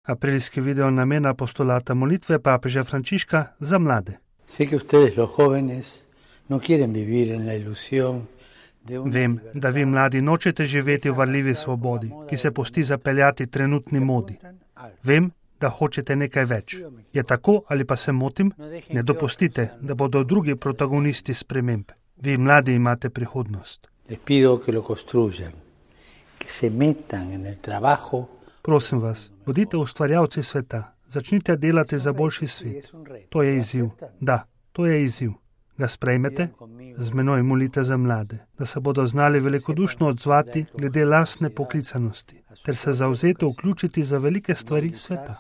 Aprilski video namena apostolata molitve papeža Frančiška za mlade. Vem, da vi mladi nočete živeti v varljivi svobodi, ki se pusti zapeljati trenutni modi. Vem, da hočete nekaj več. Je tako ali pa se motim? Ne dopustite, da bodo drugi protagonisti sprememb. Vi mladi imate prihodnost. Prosim vas, bodite ustvarjalci sveta. Začnite delati za boljši svet. To je izziv. Da, to je izziv. Ga sprejmete? Z menoj molite za mlade, da se bodo znali velikodušno odzvati glede lastne poklicanosti, ter se zavzeto vključiti za velike stvari sveta.